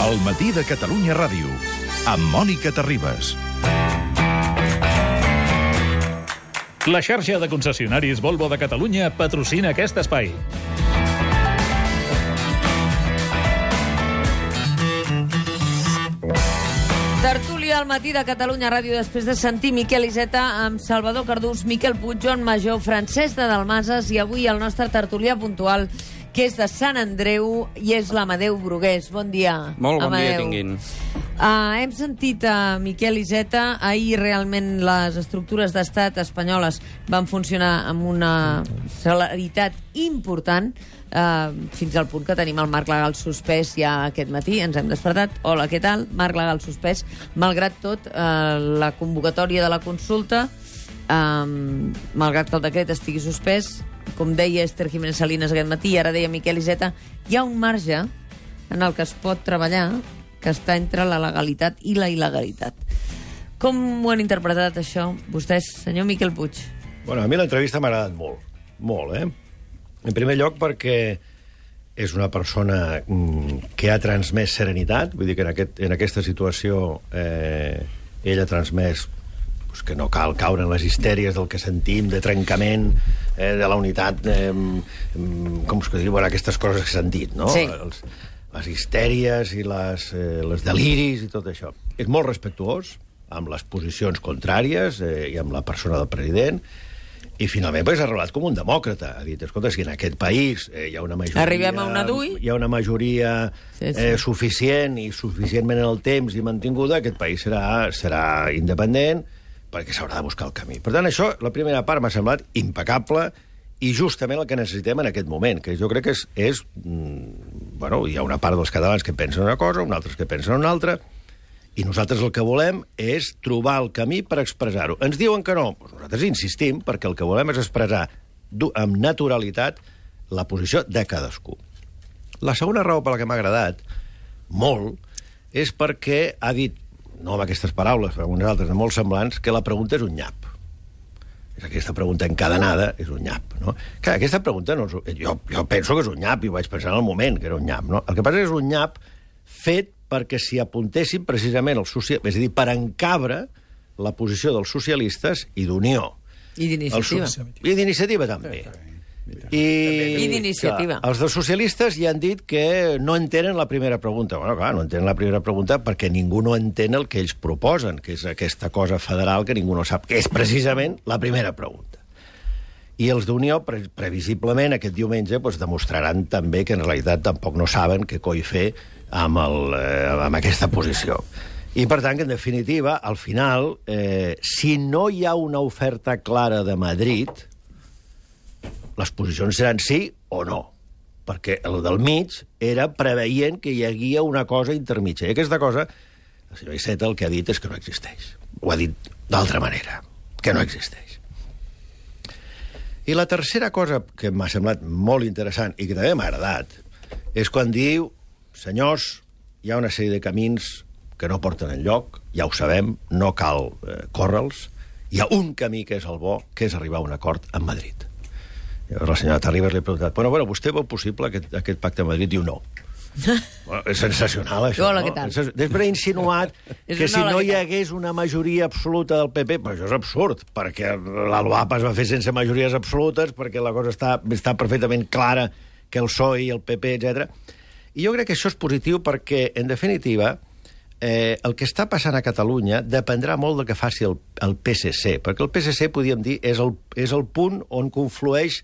El matí de Catalunya Ràdio, amb Mònica Terribas. La xarxa de concessionaris Volvo de Catalunya patrocina aquest espai. Tertúlia al matí de Catalunya Ràdio després de sentir Miquel Iceta amb Salvador Cardús, Miquel Puig, Joan Major, Francesc de Dalmases i avui el nostre tertulià puntual, que és de Sant Andreu i és l'Amadeu Brugués. Bon dia, Molt bon Amadeu. dia tinguin. Hem sentit a Miquel Iceta. Ahir realment les estructures d'estat espanyoles van funcionar amb una celeritat important, fins al punt que tenim el marc legal suspès ja aquest matí. Ens hem despertat. Hola, què tal? Marc legal suspès. Malgrat tot, la convocatòria de la consulta, malgrat que el decret estigui suspès, com deia Esther Jiménez Salinas aquest matí, ara deia Miquel Iceta, hi ha un marge en el que es pot treballar que està entre la legalitat i la il·legalitat. Com ho han interpretat, això, vostès, senyor Miquel Puig? Bueno, a mi l'entrevista m'ha agradat molt, molt, En primer lloc perquè és una persona que ha transmès serenitat, vull dir que en aquesta situació ell ha transmès que no cal caure en les histèries del que sentim, de trencament, de la unitat, com es diu, aquestes coses que s'han dit, no? Sí. Les histèries i les deliris i tot això. És molt respectuós amb les posicions contràries i amb la persona del president, i finalment ha revelat com un demòcrata. Ha dit, escolta, si en aquest país hi ha una majoria... Arribem a una d'ui. Hi ha una majoria suficient i suficientment en el temps i mantinguda, aquest país serà independent, perquè s'haurà de buscar el camí. Per tant, això, la primera part m'ha semblat impecable i justament el que necessitem en aquest moment, que jo crec que és bueno, hi ha una part dels catalans que pensen una cosa, uns altres que pensen una altra, i nosaltres el que volem és trobar el camí per expressar-ho. Ens diuen que no, doncs nosaltres insistim, perquè el que volem és expressar amb naturalitat la posició de cadascú. La segona raó per la que m'ha agradat molt és perquè ha dit, no amb aquestes paraules, però amb unes altres de molt semblants, que la pregunta és un nyap. Aquesta pregunta encadenada és un nyap, no? Clar, aquesta pregunta no és... Jo penso que és un nyap, i ho vaig pensar en el moment, que era un nyap, no? El que passa és un nyap fet perquè s'hi apuntessin precisament els socialistes, és a dir, per encabre la posició dels socialistes i d'Unió. I d'Iniciativa. I d'Iniciativa, també. I d'Iniciativa. Els dels socialistes ja han dit que no entenen la primera pregunta. Bueno, clar, no entenen la primera pregunta perquè ningú no entén el que ells proposen, que és aquesta cosa federal que ningú no sap, que és precisament la primera pregunta. I els d'Unió, previsiblement, aquest diumenge, demostraran també que en realitat tampoc no saben què coi fer amb aquesta posició. I, per tant, que, en definitiva, al final, si no hi ha una oferta clara de Madrid, les posicions seran sí o no, perquè el del mig era preveient que hi havia una cosa intermitja. I aquesta cosa, el senyor Iceta el que ha dit és que no existeix. Ho ha dit d'altra manera, que no existeix. I la tercera cosa que m'ha semblat molt interessant i que també m'ha agradat és quan diu, senyors, hi ha una sèrie de camins que no porten enlloc, ja ho sabem, no cal córrer-los, hi ha un camí que és el bo, que és arribar a un acord amb Madrid. Llavors la senyora Terribas li ha preguntat, bueno, vostè veu possible aquest pacte a Madrid? Diu no. Bueno, és sensacional, això. Hola, què tal? Després ha insinuat que si no hi hagués una majoria absoluta del PP, però això és absurd, perquè l'ALUAP es va fer sense majories absolutes, perquè la cosa està perfectament clara, que el PSOE i el PP, etc. I jo crec que això és positiu perquè, en definitiva, el que està passant a Catalunya dependrà molt del que faci el PSC, perquè el PSC, podríem dir, és el punt on conflueix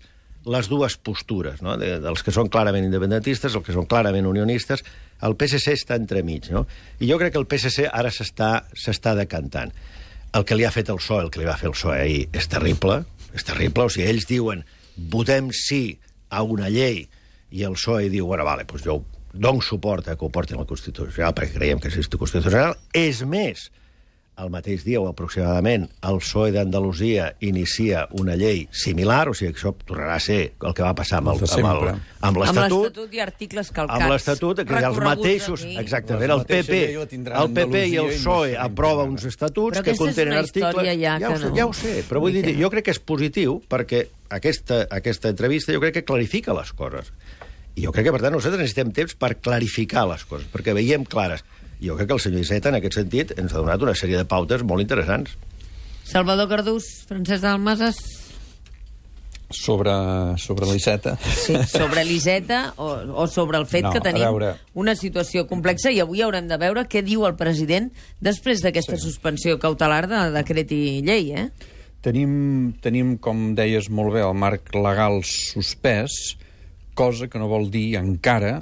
les dues postures, no? Dels que són clarament independentistes, els que són clarament unionistes. El PSC està entremig, no? I jo crec que el PSC ara s'està decantant. El que li ha fet el PSOE, el que li va fer el PSOE ahir, és terrible, o sigui, ells diuen votem sí a una llei, i el PSOE diu, bueno, vale, doncs jo dono suport a que ho portin al Constitucional perquè creiem que és constitucional. És més, el mateix dia o aproximadament el PSOE d'Andalusia inicia una llei similar, o sigui que això tornarà a ser el que va passar amb l'Estatut. Amb l'Estatut i articles calcats. Amb l'Estatut, que hi ha els mateixos... Exactament, el PP i el PSOE aprova uns estatuts que contenen articles... Ja ho sé, però vull dir, jo crec que és positiu perquè aquesta entrevista jo crec que clarifica les coses. I jo crec que, per tant, nosaltres necessitem temps per clarificar les coses, perquè veiem clares. Jo crec que el senyor Iceta, en aquest sentit, ens ha donat una sèrie de pautes molt interessants. Salvador Cardús, Francesc Dalmases... Sobre l'Iceta. Sí, sobre l'Iceta o sobre el fet que tenim una situació complexa, i avui haurem de veure què diu el president després d'aquesta suspensió cautelar de decret i llei, eh? Tenim, com deies molt bé, el marc legal suspès, cosa que no vol dir encara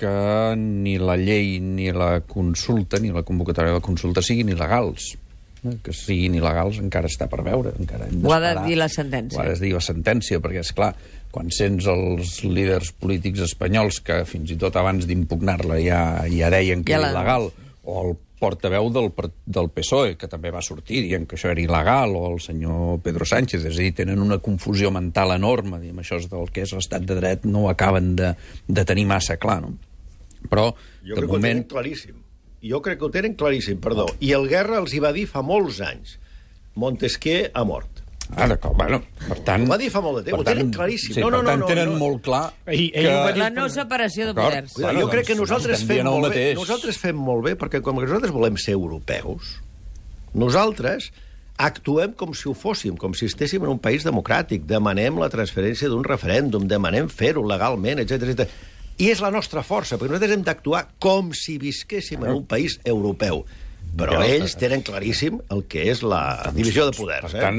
que ni la llei ni la consulta, ni la convocatòria de la consulta siguin il·legals. Que siguin il·legals encara està per veure. Ho ha de dir la sentència. Ho ha de dir la sentència, perquè, és clar, quan sents els líders polítics espanyols que fins i tot abans d'impugnar-la ja deien que era il·legal, o el portaveu del PSOE, que també va sortir dient que això era il·legal, o el senyor Pedro Sánchez, és a dir, tenen una confusió mental enorme, diguem, això del que és l'estat de dret no ho acaben de tenir massa clar, no? Però, jo crec que ho tenen claríssim. Jo crec que ho tenen claríssim, perdó. I el Guerra els hi va dir fa molts anys. Montesquieu ha mort. D'acord, bueno, per tant... Ho va dir fa molt de temps, ho tenen claríssim. Sí, per tant, tenen molt clar que... La no separació de poders. Jo crec que nosaltres fem molt bé, perquè com que nosaltres volem ser europeus, nosaltres actuem com si ho fóssim, com si estéssim en un país democràtic, demanem la transferència d'un referèndum, demanem fer-ho legalment, etc. I és la nostra força, perquè nosaltres hem d'actuar com si visquéssim en un país europeu. Però ells tenen claríssim el que és la divisió de poders. Per tant,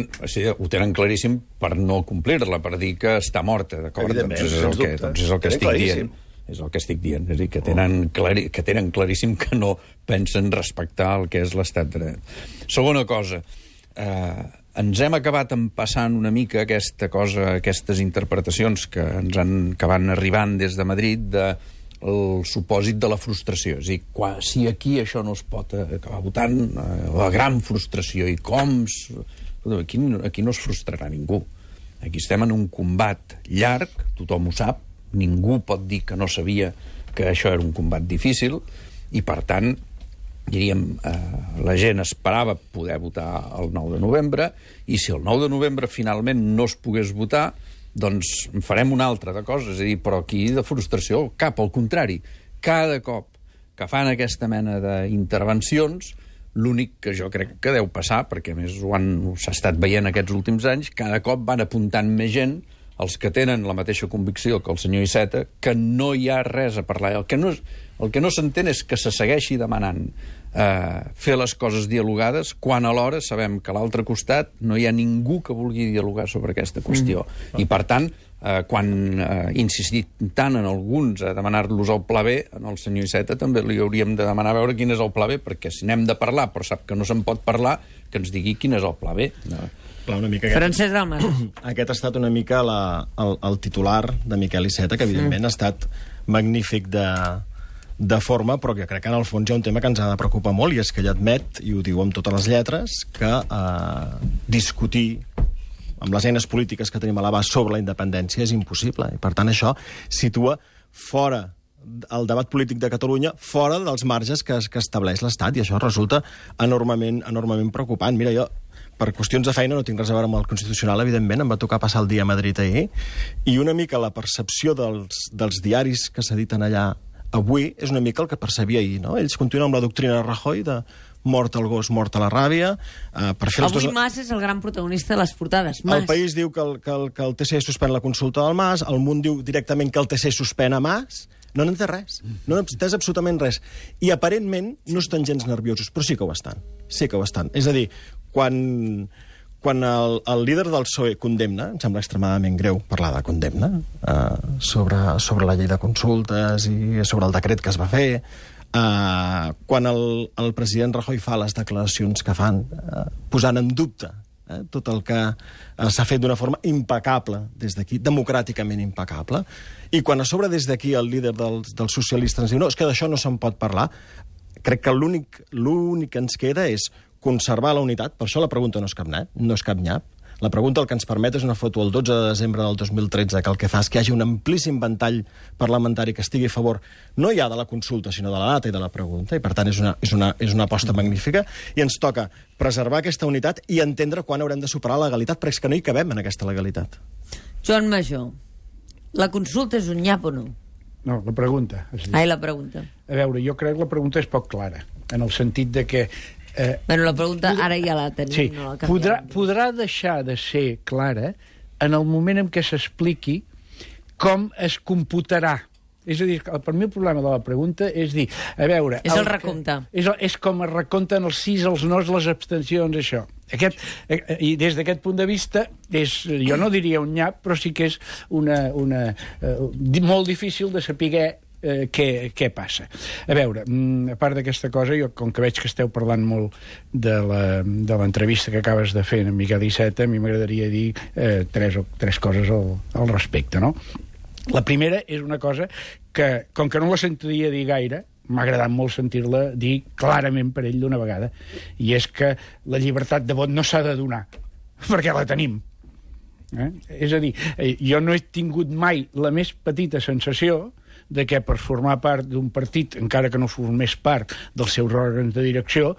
ho tenen claríssim per no complir-la, per dir que està morta, d'acord? Evidentment, doncs és el que estic dient. És el que estic dient. És a dir, que tenen claríssim que no pensen respectar el que és l'estat de dret. Segona cosa, ens hem acabat empassant una mica aquestes interpretacions que van arribant des de Madrid del supòsit de la frustració. És a dir, si aquí això no es pot acabar votant, la gran frustració, i com... Aquí no es frustrarà ningú. Aquí estem en un combat llarg, tothom ho sap, ningú pot dir que no sabia que això era un combat difícil, i per tant, diríem, la gent esperava poder votar el 9 de novembre, i si el 9 de novembre finalment no es pogués votar, doncs en farem una altra de coses. És a dir, però aquí de frustració cap, al contrari. Cada cop que fan aquesta mena d'intervencions, l'únic que jo crec que deu passar, perquè a més s'ha estat veient aquests últims anys, cada cop van apuntant més gent, els que tenen la mateixa convicció que el senyor Iceta, que no hi ha res a parlar. El que no s'entén és que se segueixi demanant fer les coses dialogades, quan alhora sabem que a l'altre costat no hi ha ningú que vulgui dialogar sobre aquesta qüestió. I, per tant, quan insistit tant en alguns a demanar-los el pla B, al senyor Iceta també li hauríem de demanar a veure quin és el pla B, perquè si n'hem de parlar, però sap que no se'n pot parlar, que ens digui quin és el pla B. Clar, una mica Francesc Dalmases. Aquest ha estat una mica el titular de Miquel Iceta, que evidentment ha estat magnífic de forma, però que crec que en el fons hi ha un tema que ens ha de preocupar molt, i és que ell admet, i ho diu amb totes les lletres, que discutir amb les eines polítiques que tenim a l'abast sobre la independència és impossible. I, per tant, això situa fora el debat polític de Catalunya, fora dels marges que estableix l'Estat, i això resulta enormement preocupant. Mira, jo, per qüestions de feina, no tinc res a veure amb el Constitucional, evidentment, em va tocar passar el dia a Madrid ahir, i una mica la percepció dels diaris que s'editen allà avui és una mica el que percebia ahir, no? Ells continuen amb la doctrina de Rajoy de mort al gos, mort a la ràbia. Avui Mas és el gran protagonista de les portades. El País diu que el TC suspèn la consulta del Mas, el Munt diu directament que el TC suspèn a Mas. No n'entès res, no n'entès absolutament res. I aparentment no estan gens nerviosos, però sí que ho estan. Sí que ho estan. És a dir, quan el líder del PSOE condemna, em sembla extremadament greu parlar de condemna, sobre la llei de consultes i sobre el decret que es va fer, quan el president Rajoy fa les declaracions que fan, posant en dubte tot el que s'ha fet d'una forma impecable des d'aquí, democràticament impecable, i quan a sobre des d'aquí el líder dels socialistes ens diu no, és que d'això no se'n pot parlar, crec que l'únic que ens queda és conservar la unitat. Per això la pregunta no és cap nyap. La pregunta el que ens permet és una foto el 12 de desembre del 2013, que el que fa és que hi hagi un amplíssim ventall parlamentari que estigui a favor no ja de la consulta, sinó de la data i de la pregunta, i per tant és una aposta magnífica, i ens toca preservar aquesta unitat i entendre quan haurem de superar la legalitat, perquè és que no hi cabem en aquesta legalitat. Joan Major, la consulta és un nyap o no? No, la pregunta. Ai, la pregunta. A veure, jo crec que la pregunta és poc clara, en el sentit de que... Bueno, la pregunta ara ja la tenim. Sí, no la podrà deixar de ser clara en el moment en què s'expliqui com es computarà. És a dir, per mi el problema de la pregunta és dir, a veure... És el recompte. És com es recompten els sís, els nos, les abstencions, això. I des d'aquest punt de vista, jo no diria un nyap, però sí que és molt difícil de saber què passa. A veure, a part d'aquesta cosa, jo, com que veig que esteu parlant molt de l'entrevista que acabes de fer amb Miquel Iceta, a mi m'agradaria dir tres coses al respecte, no? La primera és una cosa que, com que no la sentiria dir gaire, m'ha agradat molt sentir-la dir clarament per ell d'una vegada, i és que la llibertat de vot no s'ha de donar, perquè la tenim. És a dir, jo no he tingut mai la més petita sensació de que per formar part d'un partit, encara que no formés part dels seus òrgans de direcció,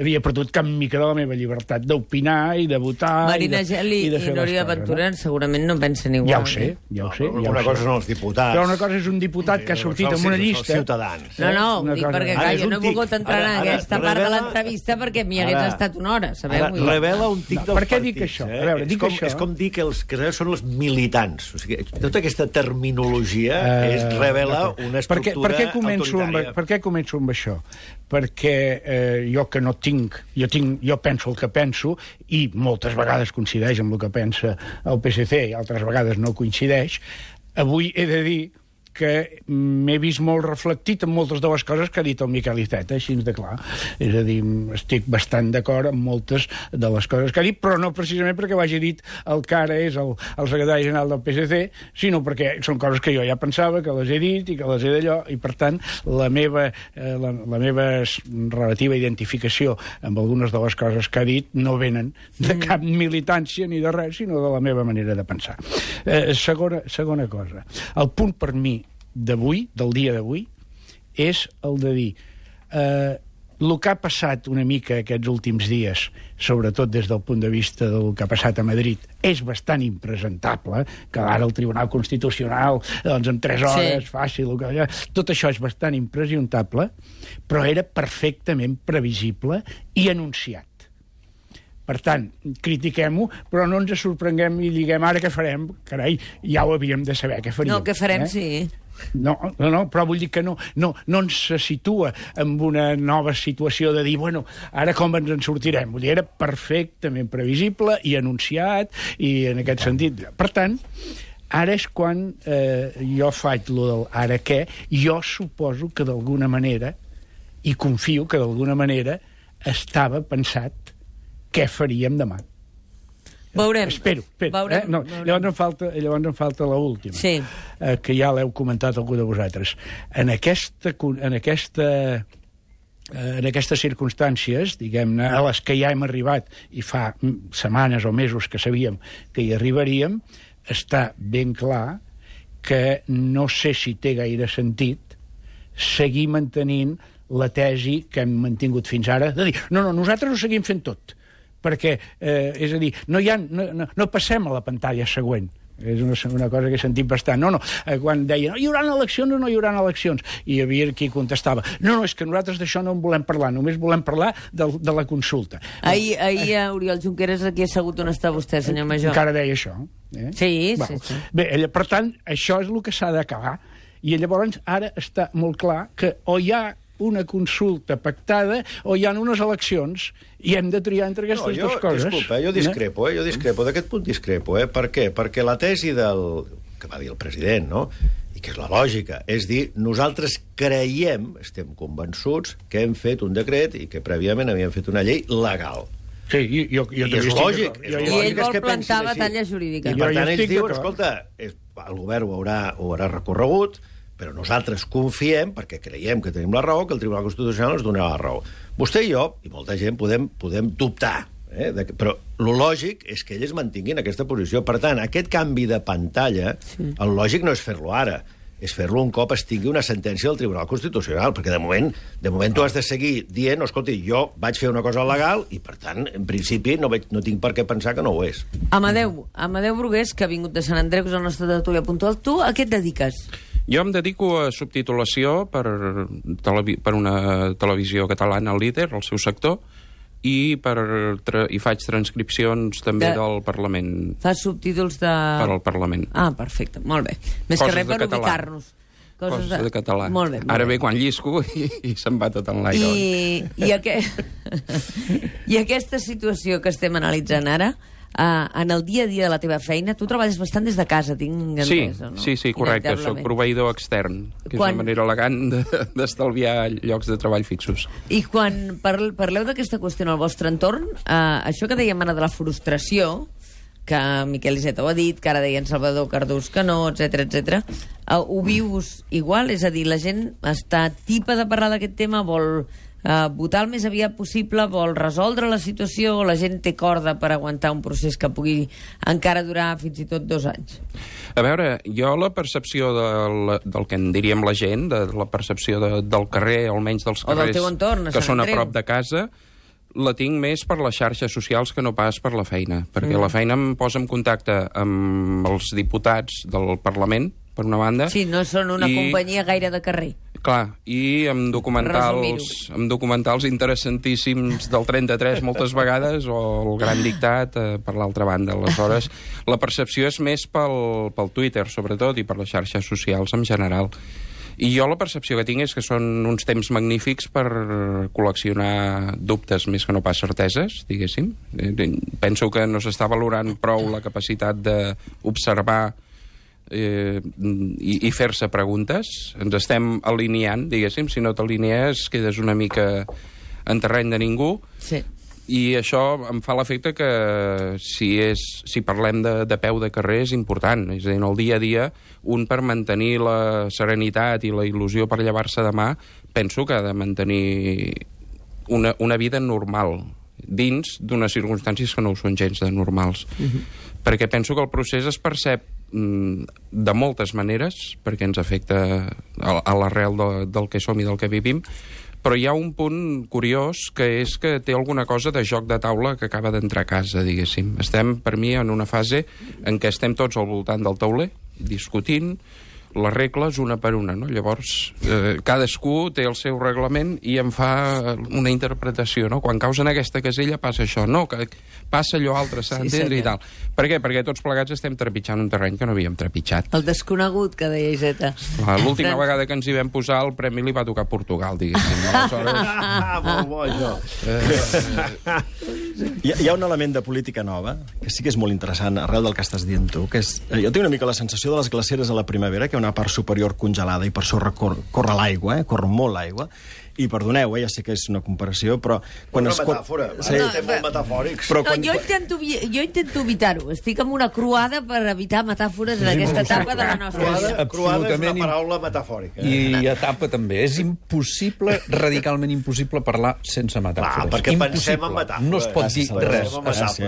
havia perdut cap mica de la meva llibertat d'opinar i de votar Marina Geli i Núria Ventura segurament no pensen igual. Ja ho sé, ja ho sé. Una cosa són els diputats. Però una cosa és un diputat que ha sortit en una llista... Els ciutadans. No, dic perquè, clar, jo no he volgut entrar en aquesta part de l'entrevista perquè m'hi hagués estat una hora, sabeu? Revela un tic dels partits. Per què dic això? A veure, dic això... És com dir que els que són els militants. O sigui, tota aquesta terminologia revela una estructura autoritària. Per què començo amb això? Perquè jo que no tinc... Jo penso el que penso i moltes vegades coincideix amb el que pensa el PSC i altres vegades no coincideix. Avui he de dir que m'he vist molt reflectit en moltes de les coses que ha dit el Miquel Iceta, així de clar. És a dir, estic bastant d'acord amb moltes de les coses que ha dit, però no precisament perquè ho hagi dit el que ara és el secretari general del PSC, sinó perquè són coses que jo ja pensava, que les he dit i que les he d'allò, i per tant la meva relativa identificació amb algunes de les coses que ha dit no venen de cap militància ni de res, sinó de la meva manera de pensar. Segona cosa. El punt per mi d'avui, del dia d'avui, és el de dir el que ha passat una mica aquests últims dies, sobretot des del punt de vista del que ha passat a Madrid, és bastant impresentable, que ara el Tribunal Constitucional, doncs en 3 hores, fàcil, tot això és bastant impresentable, però era perfectament previsible i anunciat. Per tant, critiquem-ho, però no ens sorprenguem i diguem ara què farem. Carai, ja ho havíem de saber, què faríem. No, què farem, sí. No, però vull dir que no ens se situa en una nova situació de dir, bueno, ara com ens en sortirem? Vull dir, era perfectament previsible i anunciat, i en aquest sentit. Per tant, ara és quan jo faig lo del ara què, jo suposo que d'alguna manera, i confio que d'alguna manera, estava pensat què faríem demà. Veurem. Espero. Veurem. Llavors em falta l'última, que ja l'heu comentat algú de vosaltres. En aquestes circumstàncies, diguem-ne, a les que ja hem arribat, i fa setmanes o mesos que sabíem que hi arribaríem, està ben clar que no sé si té gaire sentit seguir mantenint la tesi que hem mantingut fins ara, de dir, no, nosaltres ho seguim fent tot, perquè, és a dir, no passem a la pantalla següent. És una cosa que he sentit bastant. Quan deien, hi haurà eleccions o no hi haurà eleccions? I hi havia qui contestava, no, és que nosaltres d'això no en volem parlar, només volem parlar de la consulta. Ahir Oriol Junqueras aquí assegut on està vostè, senyor Major. Encara deia això. Sí. Bé, per tant, això és el que s'ha d'acabar. I llavors ara està molt clar que o hi ha una consulta pactada o hi ha unes eleccions i hem de triar entre aquestes dues coses. Disculpa, jo discrepo, d'aquest punt discrepo. Per què? Perquè la tesi que va dir el president, no?, i que és la lògica, és dir, nosaltres creiem, estem convençuts, que hem fet un decret i que prèviament havíem fet una llei legal. Sí, jo és lògic. I ell vol plantar batalla jurídica. I per tant ells diuen, escolta, el govern ho haurà recorregut, però nosaltres confiem, perquè creiem que tenim la raó, que el Tribunal Constitucional ens donarà la raó. Vostè i jo, i molta gent, podem dubtar, però el lògic és que ells mantinguin aquesta posició. Per tant, aquest canvi de pantalla, el lògic no és fer-lo ara, és fer-lo un cop es tingui una sentència del Tribunal Constitucional, perquè de moment tu has de seguir dient, escolti, jo vaig fer una cosa legal i, per tant, en principi, no tinc per què pensar que no ho és. Amadeu Brugués, que ha vingut de Sant Andreu, que és el nostre tertúlia puntual. Tu a què et dediques? Jo em dedico a subtitulació per una televisió catalana, el Líder, el seu sector, i faig transcripcions també del Parlament. Fas subtítols de... Per al Parlament. Ah, perfecte, molt bé. Més que res per ubicar-nos. Coses de català. Molt bé. Ara ve quan llisco i se'n va tot en l'aire. I aquesta situació que estem analitzant ara, en el dia a dia de la teva feina, tu treballes bastant des de casa, tinc entesa, no? Sí, correcte. Soc proveïdor extern, que és una manera elegant d'estalviar llocs de treball fixos. I quan parleu d'aquesta qüestió en el vostre entorn, això que dèiem ara de la frustració, que Miquel Iceta ho ha dit, que ara deia en Salvador Cardús que no, etc. Ho vius igual? És a dir, la gent està tipa de parlar d'aquest tema, vol votar el més aviat possible, vol resoldre la situació, o la gent té corda per aguantar un procés que pugui encara durar fins i tot 2 anys? A veure, jo la percepció del que en diríem la gent, de la percepció del carrer, almenys dels carrers que són a prop de casa, la tinc més per les xarxes socials que no pas per la feina, perquè la feina em posa en contacte amb els diputats del Parlament, per una banda. Sí, no són una companyia gaire de carrer. Clar, i amb documentals interessantíssims del 33 moltes vegades, o el Gran Dictat per l'altra banda. Aleshores, la percepció és més pel Twitter, sobretot, i per les xarxes socials en general. I jo la percepció que tinc és que són uns temps magnífics per col·leccionar dubtes més que no pas certeses, diguéssim. Penso que no s'està valorant prou la capacitat d'observar i fer-se preguntes. Ens estem alineant, diguéssim. Si no t'alinees, quedes una mica en terreny de ningú. Sí. I això em fa l'efecte que si parlem de peu de carrer és important. És a dir, en el dia a dia, un per mantenir la serenitat i la il·lusió per llevar-se demà, penso que ha de mantenir una vida normal, dins d'unes circumstàncies que no ho són gens de normals. Perquè penso que el procés es percep de moltes maneres, perquè ens afecta a l'arrel del que som i del que vivim, però hi ha un punt curiós, que és que té alguna cosa de joc de taula que acaba d'entrar a casa, diguéssim. Estem, per mi, en una fase en què estem tots al voltant del tauler, discutint les regles una per una, no? Llavors, cadascú té el seu reglament i en fa una interpretació, no? Quan caus en aquesta casella passa això, no, que passa allò altre, s'ha d'entendre i tal. Per què? Perquè tots plegats estem trepitjant un terreny que no havíem trepitjat. El desconegut, que deia Iceta. L'última vegada que ens hi vam posar, el premi li va tocar a Portugal, diguéssim. Molt bo, això. Hi ha un element de política nova, que sí que és molt interessant, arrel del que estàs dient tu, que és... Jo tinc una mica la sensació de les glaceres a la primavera, que una part superior congelada i per sobre corre l'aigua, corre molt l'aigua, i perdoneu, ja sé que és una comparació, però... Una metàfora, estem molt metafòrics. No, jo intento evitar-ho. Estic amb una croada per evitar metàfores en aquesta etapa de la nostra vida. Croada és una paraula metafòrica. I etapa també. És impossible, radicalment impossible, parlar sense metàfores. Perquè pensem en metàfores. No es pot dir res. Es pensa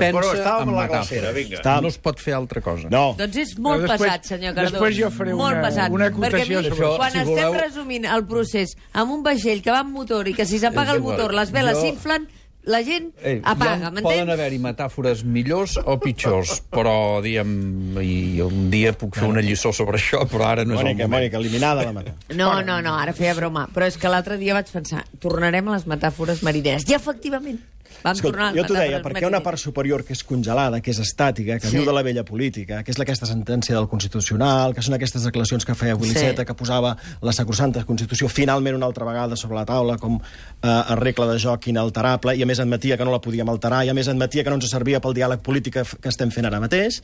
en metàfores. No es pot fer altra cosa. Doncs és molt pesat, senyor Cardós. Després jo faré una acotació sobre això. Quan estem resumint el procés amb un vaixell que va amb motor i que si s'apaga el motor les veles s'inflen, la gent apaga, m'entens? Poden haver-hi metàfores millors o pitjors, però, diguem, i un dia puc fer una lliçó sobre això, però ara no és el moment. Mònica, eliminada la metàfora. No, ara feia broma. Però és que l'altre dia vaig pensar, tornarem a les metàfores marineres. I efectivament, jo t'ho deia, perquè hi ha una part superior que és congelada, que és estàtica, que viu de la vella política, que és aquesta sentència del Constitucional, que són aquestes declaracions que feia Iceta, que posava la sacrosanta Constitució finalment una altra vegada sobre la taula com a regla de joc inalterable, i a més admetia que no la podíem alterar, i a més admetia que no ens servia pel diàleg polític que estem fent ara mateix.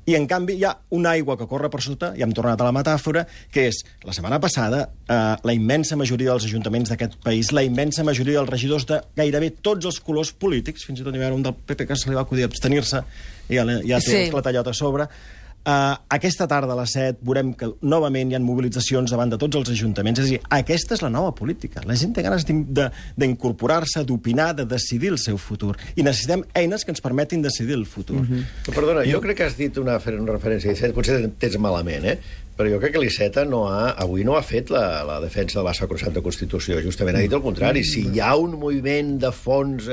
I, en canvi, hi ha una aigua que corre per sota, i hem tornat a la metàfora, que és, la setmana passada, la immensa majoria dels ajuntaments d'aquest país, la immensa majoria dels regidors de gairebé tots els colors polítics, fins i tot hi va haver un del PP que se li va acudir abstenir-se, i ja té el clatallot a sobre. Aquesta tarda a les 7 veurem que novament hi ha mobilitzacions davant de tots els ajuntaments. És a dir, aquesta és la nova política. La gent té ganes d'incorporar-se, d'opinar, de decidir el seu futur. I necessitem eines que ens permetin decidir el futur. Perdona, jo crec que has dit una referència, potser tens malament, però jo crec que l'Iceta avui no ha fet la defensa de la sacrosanta Constitució. Justament ha dit el contrari. Si hi ha un moviment de fons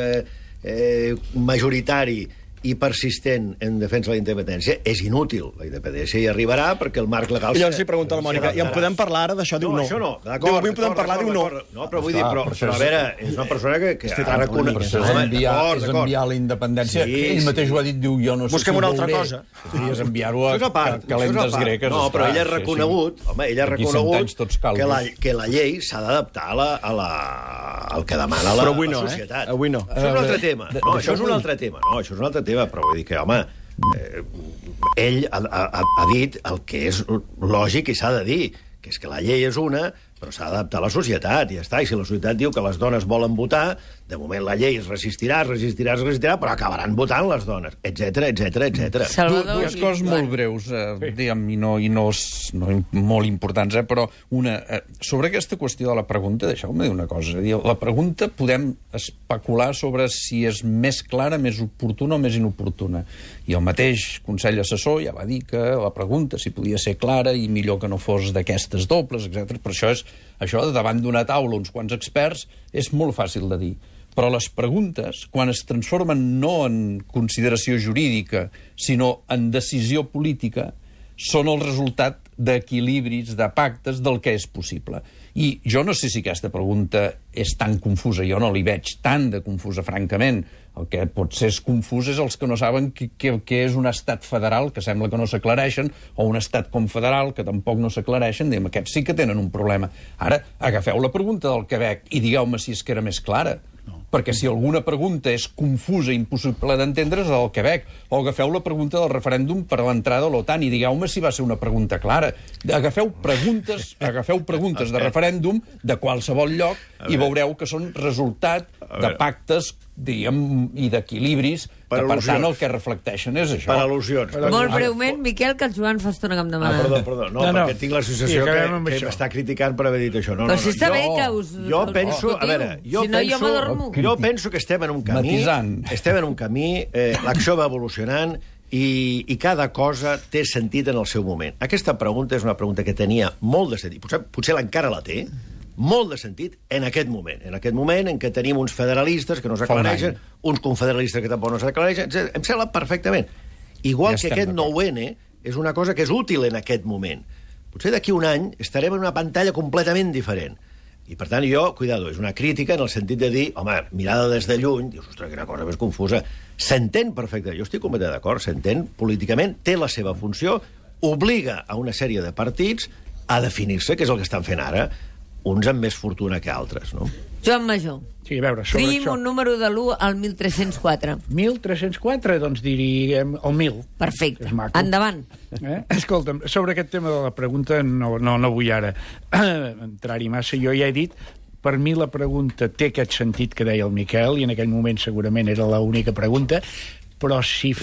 majoritari i persistent en defensa de la independència és inútil. La independència hi arribarà perquè el marc legal... I llavors li pregunta a la Mònica, i en podem parlar ara d'això? Diu no. Això no, d'acord. Diu, avui en podem parlar? Diu no. No, però vull dir, però a veure, és una persona que ha reconegut... És enviar la independència. Ell mateix ho ha dit, diu, jo no sé si busquem una altra cosa. És enviar-ho a calentes greques. No, però ell ha reconegut, que la llei s'ha d'adaptar al que demana la societat. Avui no. Això és un altre tema. No, això és un altre tema. No, això és un altre tema, però vull dir que, home, ell ha dit el que és lògic i s'ha de dir, que és que la llei és una, però s'ha d'adaptar a la societat, i ja està. I si la societat diu que les dones volen votar, de moment la llei es resistirà, però acabaran votant les dones, etc. Dues coses molt breus, diguem, i no molt importants, però una, sobre aquesta qüestió de la pregunta, deixeu-me dir una cosa. La pregunta podem especular sobre si és més clara, més oportuna o més inoportuna. I el mateix Consell Assessor ja va dir que la pregunta si podia ser clara i millor que no fos d'aquestes dobles, etc. Per això davant d'una taula, uns quants experts, és molt fàcil de dir. Però les preguntes, quan es transformen no en consideració jurídica, sinó en decisió política, són el resultat d'equilibris, de pactes, del que és possible. I jo no sé si aquesta pregunta és tan confusa, jo no li veig tant de confusa, francament. El que potser és confús és els que no saben què és un estat federal, que sembla que no s'aclareixen, o un estat confederal, que tampoc no s'aclareixen, diguem, aquests sí que tenen un problema. Ara, agafeu la pregunta del Quebec i digueu-me si és que era més clara. Perquè si alguna pregunta és confusa i impossible d'entendre és el Quebec. O agafeu la pregunta del referèndum per a l'entrada a l'OTAN i digueu-me si va ser una pregunta clara. Agafeu preguntes de referèndum de qualsevol lloc i veureu que són resultat de pactes, diguem, i d'equilibris, que per tant el que reflecteixen és això. Per al·lusions. Molt breument, Miquel, que el Joan fa estona que em demana. Perdó. No, perquè tinc la sensació que m'està criticant per haver dit això. Però si està bé que us... Jo penso, a veure, jo penso que estem en un camí... Estem en un camí, l'acció va evolucionant i cada cosa té sentit en el seu moment. Aquesta pregunta és una pregunta que tenia molt de sentit. Potser encara la té, molt de sentit en aquest moment en què tenim uns federalistes que no s'aclareixen, uns confederalistes que tampoc no s'aclareixen, em sembla perfectament. Igual que aquest 9-N és una cosa que és útil en aquest moment. Potser d'aquí un any estarem en una pantalla completament diferent. I, per tant, cuidado, és una crítica en el sentit de dir, home, mirada des de lluny, dius, ostres, quina cosa més confusa. S'entén perfectament, jo estic completament d'acord, s'entén políticament, té la seva funció, obliga a una sèrie de partits a definir-se, que és el que estan fent ara, uns amb més fortuna que altres, no? Joan Major. Sí, a veure, sobre Triïm un número de l'1 al 1304. 1304, doncs diríem el 1000. Perfecte. Endavant. Escolta'm, sobre aquest tema de la pregunta no vull ara entrar-hi massa. Jo ja he dit, per mi la pregunta té aquest sentit que deia el Miquel, i en aquell moment segurament era l'única pregunta, però si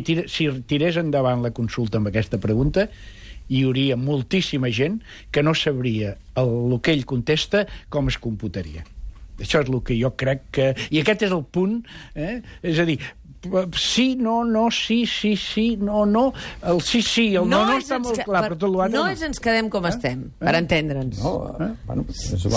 tirés endavant la consulta amb aquesta pregunta, hi hauria moltíssima gent que no sabria el que ell contesta com es computaria. Això és el que jo crec que... I aquest és el punt, és a dir, sí, no, sí, no, el sí, el no està molt clar, però tot l'altre no. No ens quedem com estem, per entendre's.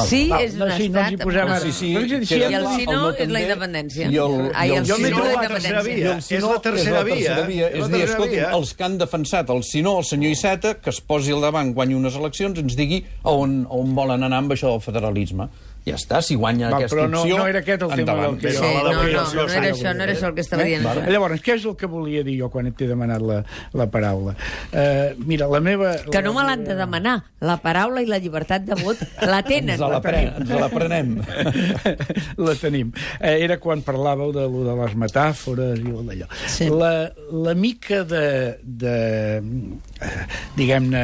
Sí, és un estat... No ens hi posem ara. I el sí no és la independència. I el sí no és la tercera via. És la tercera via. És a dir, escolta'm, els que han defensat el sí no, el senyor Iceta, que es posi al davant, guanyi unes eleccions, ens digui on volen anar amb això del federalisme. Ja està, si guanya aquesta opció... Però no era aquest el tema del que jo... No era això el que estava dient. Llavors, què és el que volia dir jo quan t'he demanat la paraula? Mira, la meva... Que no me l'han de demanar. La paraula i la llibertat de vot la tenen. Ens la prenem. La tenim. Era quan parlàveu de les metàfores i d'allò. Sí. La mica de diguem-ne,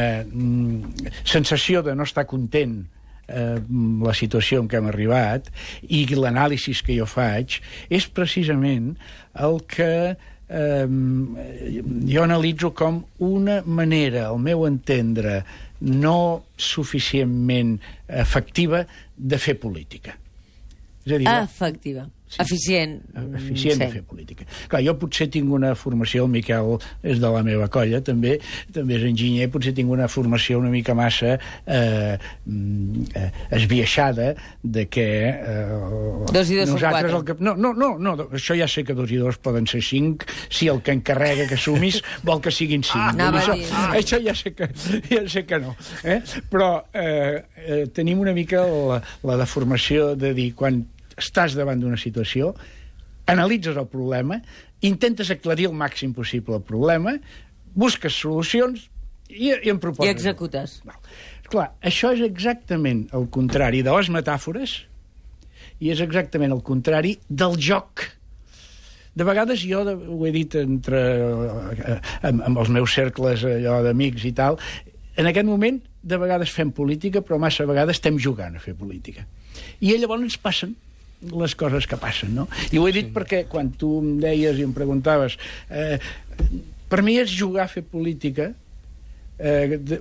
sensació de no estar content la situació en què hem arribat i l'anàlisi que jo faig és precisament el que jo analitzo com una manera, al meu entendre, no suficientment efectiva de fer política. És a dir, efectiva. Sí. Eficient. Eficient de fer política. Clar, jo potser tinc una formació, el Miquel és de la meva colla, també és enginyer, potser tinc una formació una mica massa esbiaixada de que... 2 i 2 són 4. No, això ja sé que 2 i 2 poden ser 5, si el que encarrega que sumis vol que siguin 5. Això ja sé que no. Però tenim una mica la deformació de dir, quan estàs davant d'una situació, analitzes el problema, intentes aclarir el màxim possible el problema, busques solucions i en proposes. I executes. Clar, això és exactament el contrari de les metàfores i és exactament el contrari del joc. De vegades jo, ho he dit amb els meus cercles d'amics i tal, en aquest moment de vegades fem política, però massa vegades estem jugant a fer política. I llavors ens passen les coses que passen, no? I ho he dit perquè quan tu em deies i em preguntaves per mi és jugar a fer política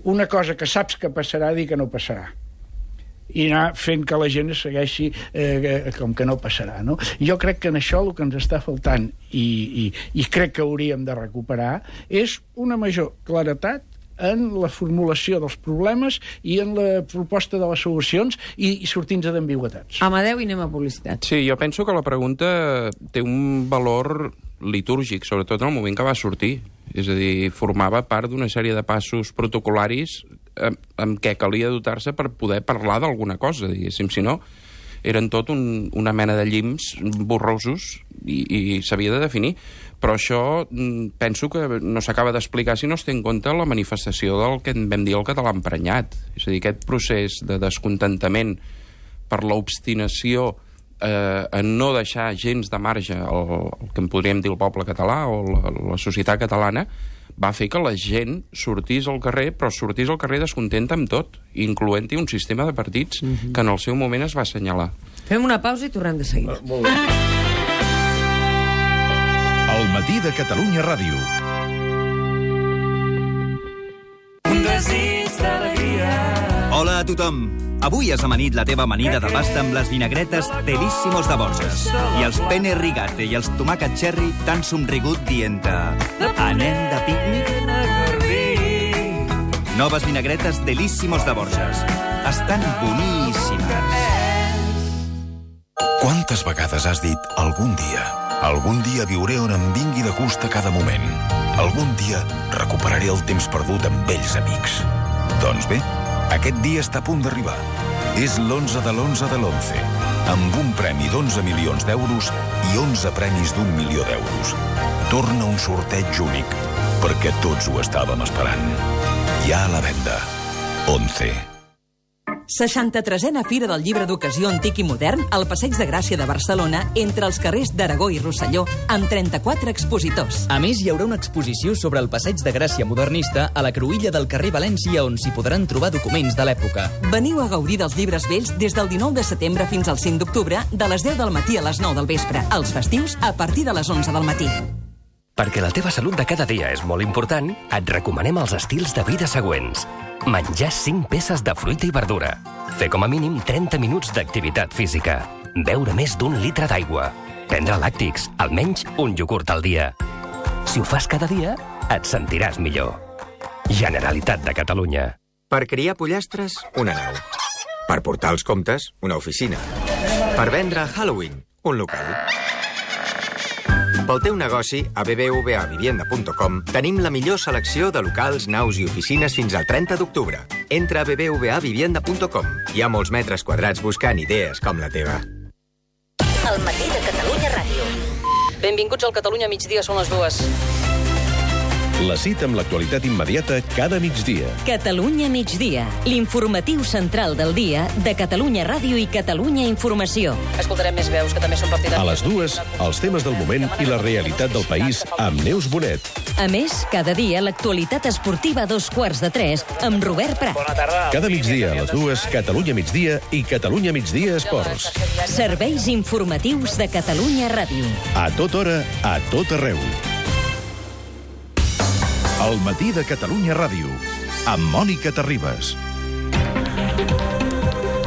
una cosa que saps que passarà, dir que no passarà i anar fent que la gent segueixi com que no passarà, no? Jo crec que en això el que ens està faltant i crec que hauríem de recuperar és una major claretat en la formulació dels problemes i en la proposta de les solucions i sortint-nos d'ambigüetats. Amadeu, i anem a publicitat. Sí, jo penso que la pregunta té un valor litúrgic, sobretot en el moment que va sortir. És a dir, formava part d'una sèrie de passos protocolaris amb què calia dotar-se per poder parlar d'alguna cosa, diguéssim. Si no, eren tot una mena de llims borrosos i s'havia de definir. Però això penso que no s'acaba d'explicar si no es té en compte la manifestació del que en vam dir el català emprenyat. És a dir, aquest procés de descontentament per l'obstinació en no deixar gens de marge el que en podríem dir el poble català o la societat catalana, va fer que la gent sortís al carrer, però sortís al carrer descontenta amb tot, incloent-hi un sistema de partits que en el seu moment es va assenyalar. Fem una pausa i tornem de seguida. Molt bé. El matí de Catalunya Ràdio. Un desig d'alegria. Hola a tothom. Avui has amanit la teva amanida de pasta amb les vinagretes Delissimos de Borges. I els penne rigate i els tomàquet cherry t'han somrigut dient-te anem de pícnic? Noves vinagretes Delissimos de Borges. Estan boníssimes. Quantes vegades has dit algun dia viuré on em vingui de gust a cada moment. Algun dia recuperaré el temps perdut amb vells amics. Doncs bé, aquest dia està a punt d'arribar. És l'11 de l'11 de l'11, amb un premi d'11 milions d'euros i 11 premis d'1 milió d'euros. Torna un sorteig únic, perquè tots ho estàvem esperant. Ja a la venda. 11. 63a Fira del Llibre d'Ocasió Antic i Modern al Passeig de Gràcia de Barcelona entre els carrers d'Aragó i Rosselló amb 34 expositors. A més, hi haurà una exposició sobre el Passeig de Gràcia modernista a la cruïlla del carrer València on s'hi podran trobar documents de l'època. Veniu a gaudir dels llibres vells des del 19 de setembre fins al 5 d'octubre de les 10 del matí a les 9 del vespre. Els festius a partir de les 11 del matí. Perquè la teva salut de cada dia és molt important, et recomanem els estils de vida següents. Menjar 5 peces de fruita i verdura. Fer com a mínim 30 minuts d'activitat física. Beure més d'1 litre d'aigua. Prendre làctics, almenys un iogurt al dia. Si ho fas cada dia, et sentiràs millor. Generalitat de Catalunya. Per criar pollastres, una nau. Per portar els comptes, una oficina. Per vendre a Halloween, un local. Pel teu negoci, a bbvavivienda.com tenim la millor selecció de locals, naus i oficines fins al 30 d'octubre. Entra a bbvavivienda.com. Hi ha molts metres quadrats buscant idees com la teva. El matí de Catalunya Ràdio. Benvinguts al Catalunya Migdia, són les 2. La cita amb l'actualitat immediata cada migdia. Catalunya Migdia, l'informatiu central del dia de Catalunya Ràdio i Catalunya Informació. Escoltarem més veus, que també són partidaris. A les 2, els temes del moment i la realitat del país amb Neus Bonet. A més, cada dia l'actualitat esportiva a 2:15 amb Robert Prat. Bona tarda. Cada migdia a les 2, Catalunya Migdia i Catalunya Migdia Esports. Serveis informatius de Catalunya Ràdio. A tota hora, a tot arreu. El matí de Catalunya Ràdio, amb Mònica Terribas.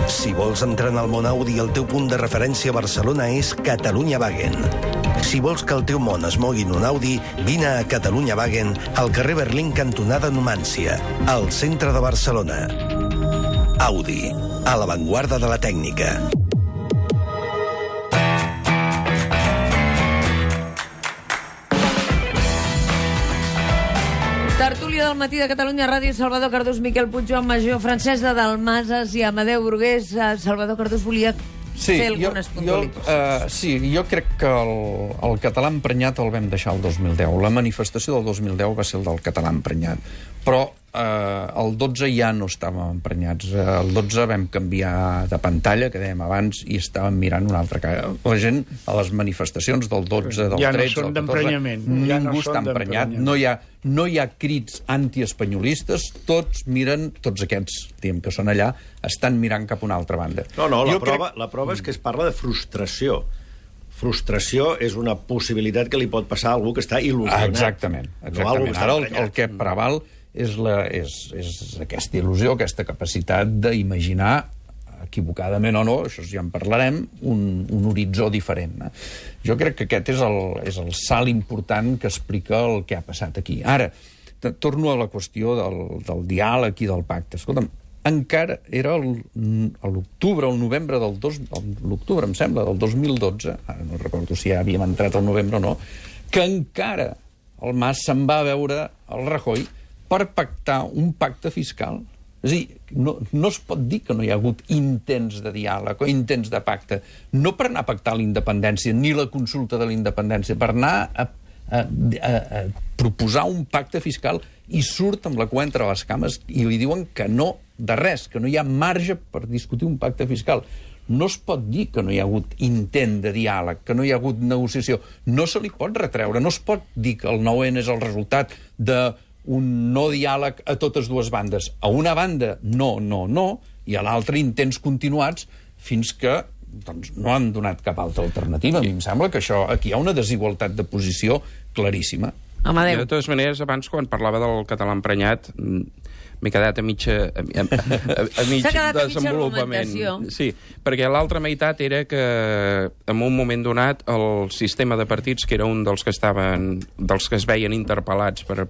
Si vols entrar en el món Audi, el teu punt de referència a Barcelona és Catalunya Wagen. Si vols que el teu món es mogui en un Audi, vine a Catalunya Wagen, al carrer Berlín, cantonada Numància, al centre de Barcelona. Audi, a l'avantguarda de la tècnica. Tertúlia del matí de Catalunya Ràdio, Salvador Cardús, Miquel Puig, Joan Major, Francesc de Dalmases i Amadeu Brugués. Salvador Cardús volia fer algunes puntualitzacions. Jo crec que el català emprenyat el vam deixar el 2010. La manifestació del 2010 va ser el del català emprenyat. Però el 12 ja no estàvem emprenyats. El 12 vam canviar de pantalla, que dèiem abans, i estàvem mirant una altra cara. La gent, a les manifestacions del 12, del 13, ja no del 14... d'emprenyament. Ningú està emprenyat. No hi ha crits antiespanyolistes. Tots miren, tots aquests, diguem que són allà, estan mirant cap a una altra banda. La prova és que es parla de frustració. Frustració és una possibilitat que li pot passar a algú que està il·lusionat. Exactament. Ara el que preval és aquesta il·lusió, aquesta capacitat d'imaginar, equivocadament o no, això ja en parlarem, un horitzó diferent. Jo crec que aquest és el salt important que explica el que ha passat aquí. Ara, torno a la qüestió del diàleg i del pacte. Escolta'm, encara era l'octubre o el novembre l'octubre, em sembla, del 2012, ara no recordo si ja havíem entrat al novembre o no, que encara el Mas se'n va veure el Rajoy per pactar un pacte fiscal. És a dir, no es pot dir que no hi ha hagut intents de diàleg o intents de pacte, no per anar a pactar la independència ni la consulta de la independència, per anar a proposar un pacte fiscal, i surt amb la cua entre les cames i li diuen que no de res, que no hi ha marge per discutir un pacte fiscal. No es pot dir que no hi ha hagut intent de diàleg, que no hi ha hagut negociació. No se li pot retreure, no es pot dir que el 9N és el resultat d'un no diàleg a totes dues bandes. A una banda, no, i a l'altra, intents continuats, fins que no han donat cap altra alternativa. A mi em sembla que aquí hi ha una desigualtat de posició claríssima. Amadeu. De totes maneres, abans, quan parlava del català emprenyat, m'he quedat a mig desenvolupament. Sí, perquè l'altra meitat era que en un moment donat el sistema de partits, que era un dels que es veien interpel·lats per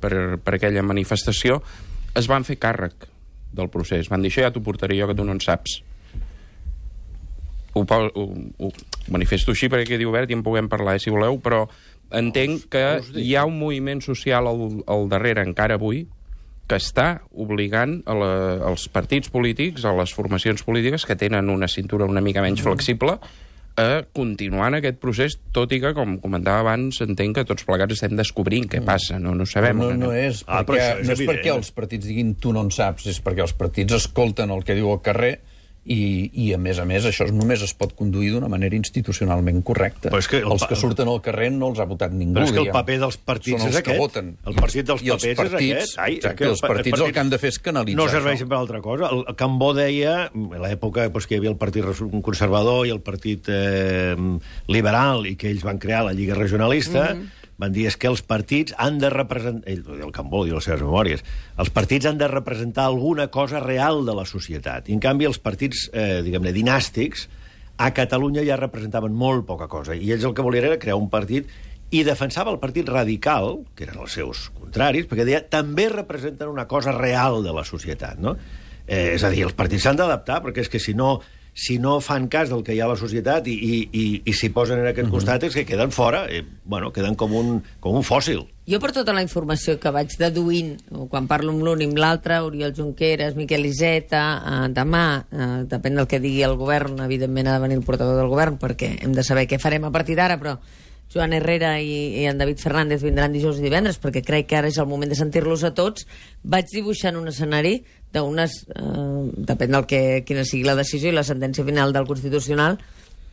aquella manifestació, es van fer càrrec del procés. Van dir, això ja t'ho portaré jo, que tu no en saps. Ho manifesto així perquè quedi obert i en puguem parlar, si voleu, però entenc que hi ha un moviment social al darrere, encara avui, que està obligant els partits polítics, a les formacions polítiques que tenen una cintura una mica menys flexible, a continuar en aquest procés, tot i que, com comentava abans, entenc que tots plegats estem descobrint què passa, no sabem. No és perquè els partits diguin tu no en saps, és perquè els partits escolten el que diu el carrer i a més, això només es pot conduir d'una manera institucionalment correcta. Els que surten al carrer no els ha votat ningú. Però és que el paper dels partits és aquest. El partit dels papers és aquest. Exacte, els partits el que han de fer és canalitzar. No serveixen per altra cosa. El Cambó deia, a l'època que hi havia el Partit Conservador i el Partit Liberal, i que ells van crear la Lliga Regionalista, van dir que els partits han de representar, el Cambó diu les seves memòries, els partits han de representar alguna cosa real de la societat. I en canvi els partits, diguem-ne, dinàstics, a Catalunya ja representaven molt poca cosa. I ells el que volien era crear un partit, i defensava el partit radical, que eren els seus contraris, perquè deia, també representen una cosa real de la societat, no? És a dir, els partits s'han d'adaptar, perquè és que si no fan cas del que hi ha a la societat i s'hi posen en aquest costat, és que queden fora, queden com un fòssil. Jo, per tota la informació que vaig deduint, quan parlo amb l'un i amb l'altre, Oriol Junqueras, Miquel Iceta, demà, depèn del que digui el govern, evidentment ha de venir el portaveu del govern, perquè hem de saber què farem a partir d'ara, però Joan Herrera i en David Fernández vindran dijous i divendres, perquè crec que ara és el moment de sentir-los a tots. Vaig dibuixant un escenari d'unes, depèn del quina sigui la decisió i la sentència final del Constitucional,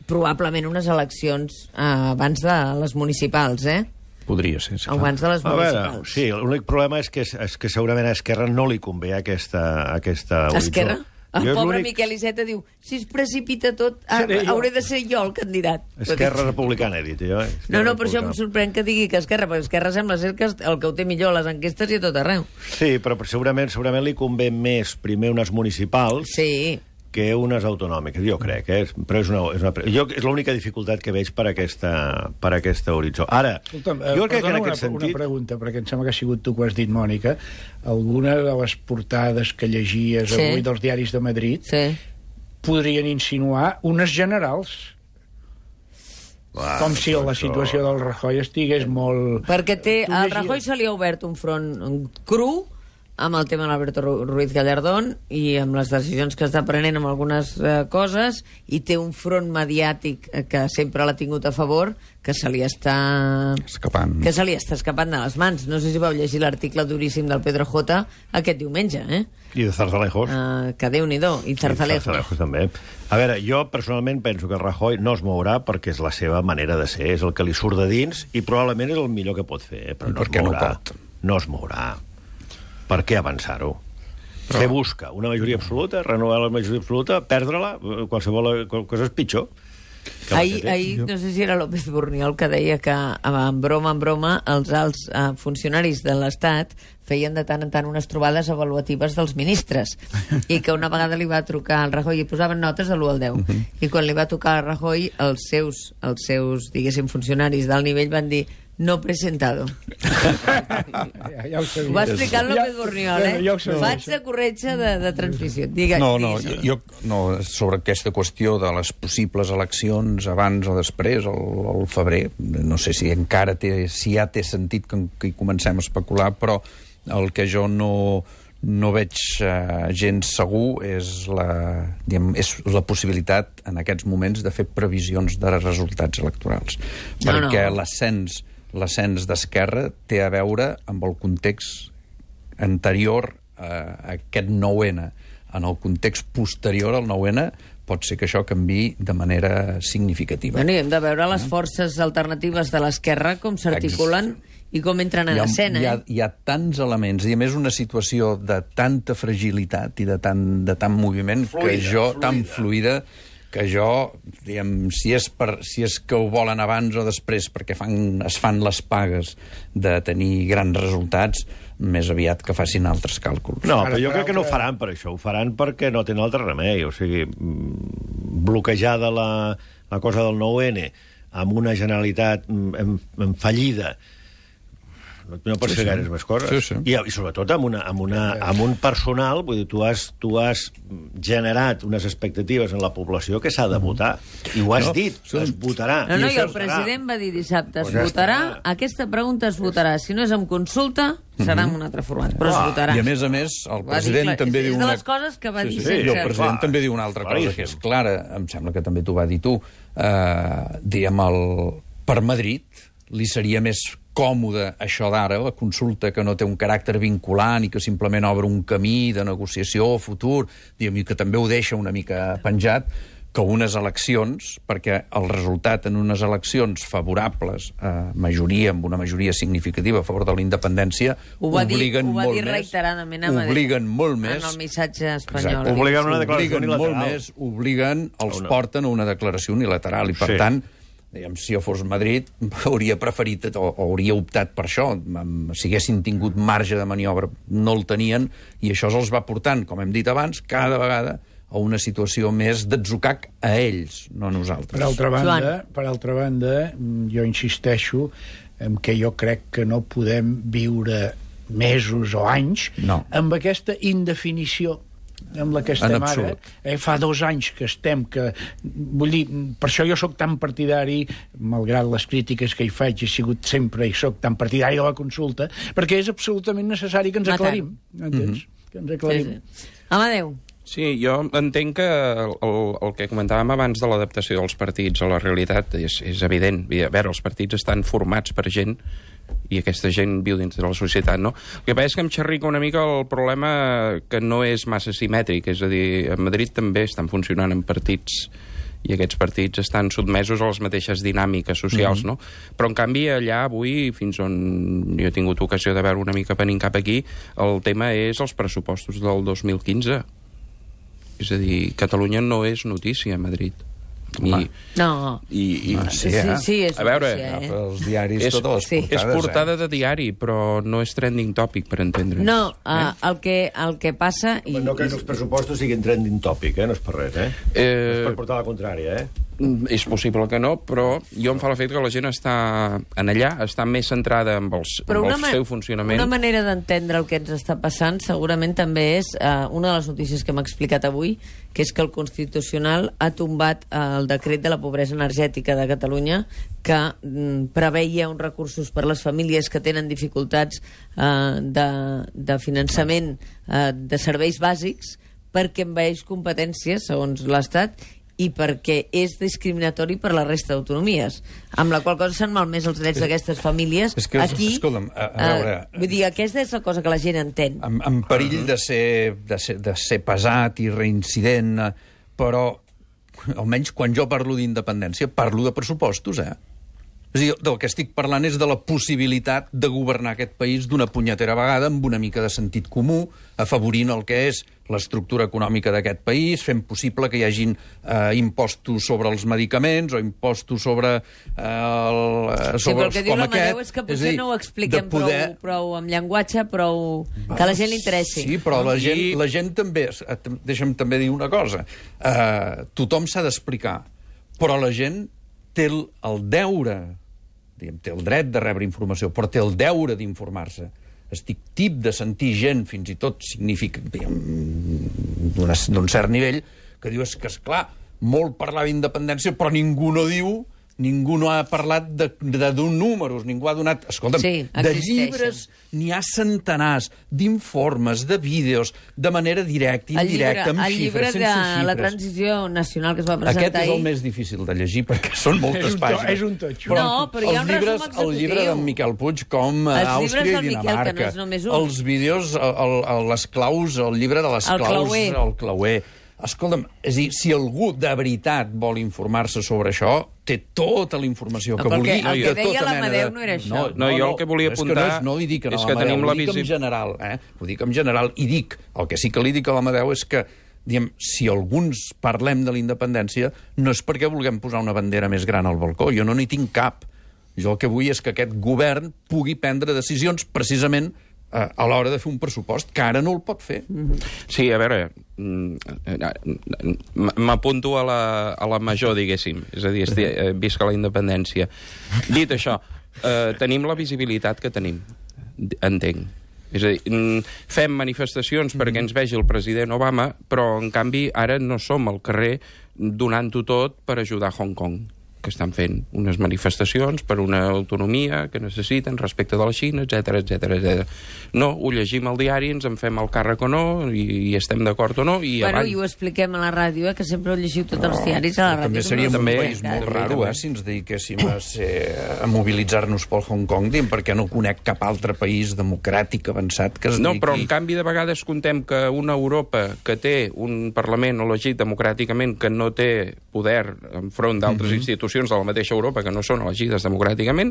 probablement unes eleccions abans de les municipals, Podria ser, sí. Abans de les municipals. Sí, l'únic problema és que segurament a Esquerra no li convé aquesta horitzó. Esquerra? El pobre Miquel Iceta diu, si es precipita tot, hauré de ser jo el candidat. Esquerra Republicana, he dit jo. No, per això em sorprèn que digui que Esquerra, perquè Esquerra sembla ser que el que ho té millor a les enquestes i a tot arreu. Sí, però segurament li convé més primer unes municipals, que unes autonòmiques, jo crec, però és l'única dificultat que veig per aquesta horitzó. Ara, Escolta'm, jo crec que en aquest sentit... Una pregunta, perquè em sembla que ha sigut tu que ho has dit, Mònica. Alguna de les portades que llegies avui dels diaris de Madrid podrien insinuar unes generals. Com si la situació del Rajoy estigués molt... Perquè al Rajoy se li ha obert un front cru amb el tema d'Alberto Ruiz Gallardón i amb les decisions que està prenent amb algunes coses, i té un front mediàtic que sempre l'ha tingut a favor, que se li està escapant de les mans. No sé si vau llegir l'article duríssim del Pedro J aquest diumenge, I de Zarzalejos. Que Déu-n'hi-do, i Zarzalejos també. A veure, jo personalment penso que el Rajoy no es mourà perquè és la seva manera de ser, és el que li surt de dins i probablement és el millor que pot fer, però no es mourà. No es mourà. Per què avançar-ho? Què busca? Una majoria absoluta? Renovar la majoria absoluta? Perdre-la? Qualsevol cosa és pitjor. Ahir, no sé si era López Borniol que deia que, en broma, els alts funcionaris de l'Estat feien de tant en tant unes trobades avaluatives dels ministres, i que una vegada li va trucar al Rajoy i posaven notes de l'1 al 10, i quan li va tocar al Rajoy els seus diguéssim, funcionaris d'alt nivell van dir no presentado. Ho va explicar el López Borniol, Faig de corretja de transmissió. No, sobre aquesta qüestió de les possibles eleccions abans o després, al febrer, no sé si encara ja té sentit que hi comencem a especular, però el que jo no veig gens segur és la possibilitat en aquests moments de fer previsions de resultats electorals. Perquè l'ascens d'Esquerra té a veure amb el context anterior a aquest 9-N. En el context posterior al 9-N pot ser que això canviï de manera significativa. Bueno, i hem de veure les forces alternatives de l'esquerra com s'articulen i com entren en escena. Hi ha tants elements, i a més una situació de tanta fragilitat i de tant moviment tan fluida, que jo, diguem, si és que ho volen abans o després perquè es fan les pagues de tenir grans resultats, més aviat que facin altres càlculs. No, però jo crec que no ho faran per això, ho faran perquè no tenen altre remei, o sigui, bloquejada la cosa del 9-N amb una Generalitat en fallida, no pots fer gaires més coses. I sobretot amb un personal, vull dir, tu has generat unes expectatives en la població que s'ha de votar. I ho has dit, es votarà. No, i el president va dir dissabte, es votarà, aquesta pregunta es votarà. Si no és amb consulta, serà en un altre format, però es votarà. I a més, el president també diu... És de les coses que va dir sense... El president també diu una altra cosa, que és clara, em sembla que també t'ho va dir tu, diguem, per Madrid li seria més còmode això d'ara, la consulta que no té un caràcter vinculant i que simplement obre un camí de negociació futur, i que també ho deixa una mica penjat, que unes eleccions, perquè el resultat en unes eleccions favorables amb una majoria significativa a favor de la independència, obliguen molt més. Ho va dir reiteradament a Madrid. Obliguen molt més. En el missatge espanyol. Obliguen una declaració unilateral. Els porten a una declaració unilateral, i per tant, si jo fos Madrid, hauria preferit o hauria optat per això. Si haguessin tingut marge de maniobra, no el tenien, i això els va portant, com hem dit abans, cada vegada a una situació més d'atzucac a ells, no a nosaltres. Per altra banda, jo insisteixo en que jo crec que no podem viure mesos o anys amb aquesta indefinició amb la que estem ara. Fa 2 anys que estem, vull dir, per això jo sóc tan partidari, malgrat les crítiques que hi faig, he sigut sempre i sóc tan partidari de la consulta, perquè és absolutament necessari que ens aclarim. Entens? Que ens aclarim. Amadeu. Sí, jo entenc que el que comentàvem abans de l'adaptació dels partits a la realitat és evident. A veure, els partits estan formats per gent i aquesta gent viu dins de la societat, no? El que passa és que em xerrica una mica el problema que no és massa simètric, és a dir, a Madrid també estan funcionant en partits i aquests partits estan sotmesos a les mateixes dinàmiques socials, no? Però, en canvi, allà avui, fins on jo he tingut ocasió de veure una mica venint cap aquí, el tema és els pressupostos del 2015. És a dir, Catalunya no és notícia a Madrid. No. Sí, és a veure, els diaris totes les portades. És portada de diari, però no és trending topic, per entendre. No, el que passa... No crec que els pressupostos siguin trending topic, no és per res, és per portar la contrària, És possible que no, però jo em fa l'efecte que la gent està en allà, està més centrada en el seu funcionament. Una manera d'entendre el que ens està passant segurament també és una de les notícies que m'ha explicat avui, que és que el Constitucional ha tombat el decret de la pobresa energètica de Catalunya que preveia uns recursos per a les famílies que tenen dificultats de finançament de serveis bàsics perquè envaeix competències, segons l'Estat, i perquè és discriminatori per la resta d'autonomies, amb la qual cosa s'han malmès els drets d'aquestes famílies. Aquí, escolta'm, a veure... vull dir, aquesta és la cosa que la gent entén. En perill de ser pesat i reincident, però almenys quan jo parlo d'independència parlo de pressupostos, És a dir, del que estic parlant és de la possibilitat de governar aquest país d'una punyetera vegada amb una mica de sentit comú, afavorint el que és l'estructura econòmica d'aquest país, fent possible que hi hagin impostos sobre els medicaments o impostos sobre Sí, però el que diu l'Amadeu és que potser no ho expliquem prou amb llenguatge, prou que a la gent li interessi. Sí, però la gent també... Deixa'm també dir una cosa. Tothom s'ha d'explicar, però la gent té el deure, té el dret de rebre informació, però té el deure d'informar-se. Estic tip de sentir gent, fins i tot significa d'un cert nivell, que diu, és que, esclar, molt parlar d'independència, però ningú no ha parlat d'un números, ningú ha donat... Escolta'm, de llibres n'hi ha centenars, d'informes, de vídeos, de manera directa, indirecta, amb xifres, sense xifres. El llibre de la transició nacional que es va presentar ahir... Aquest és el més difícil de llegir, perquè són moltes pàgines. És un totxo. No, però hi ha un resum executiu. El llibre d'en Miquel Puig, com Àustria i Dinamarca. Els vídeos, les claus, el llibre de les claus, el clauer. Escolta'm, és a dir, si algú de veritat vol informar-se sobre això, té tota la informació que vulgui. El que deia l'Amadeu no era això. No, jo el que volia apuntar no li dic a l'Amadeu, ho dic en general. Ho dic en general, i dic, el que sí que li dic a l'Amadeu és que, diguem, si alguns parlem de la independència, no és perquè vulguem posar una bandera més gran al balcó, jo no n'hi tinc cap. Jo el que vull és que aquest govern pugui prendre decisions precisament a l'hora de fer un pressupost, que ara no el pot fer. Sí, a veure, m'apunto a la major, diguéssim. És a dir, visca la independència. Dit això, tenim la visibilitat que tenim, entenc. És a dir, fem manifestacions perquè ens vegi el president Obama, però, en canvi, ara no som al carrer donant-ho tot per ajudar Hong Kong, que estan fent unes manifestacions per una autonomia que necessiten respecte de la Xina, etc. No, ho llegim al diari, ens en fem el càrrec o no, i estem d'acord o no, i i ho expliquem a la ràdio, que sempre ho llegiu tots els diaris a la ràdio. També seria un país molt raro, si ens dediquéssim a mobilitzar-nos pel Hong Kong, perquè no conec cap altre país democràtic avançat que es dediqui... No, però en canvi de vegades contem que una Europa que té un Parlament elegit democràticament que no té poder enfront d'altres institucions de la mateixa Europa que no són elegides democràticament,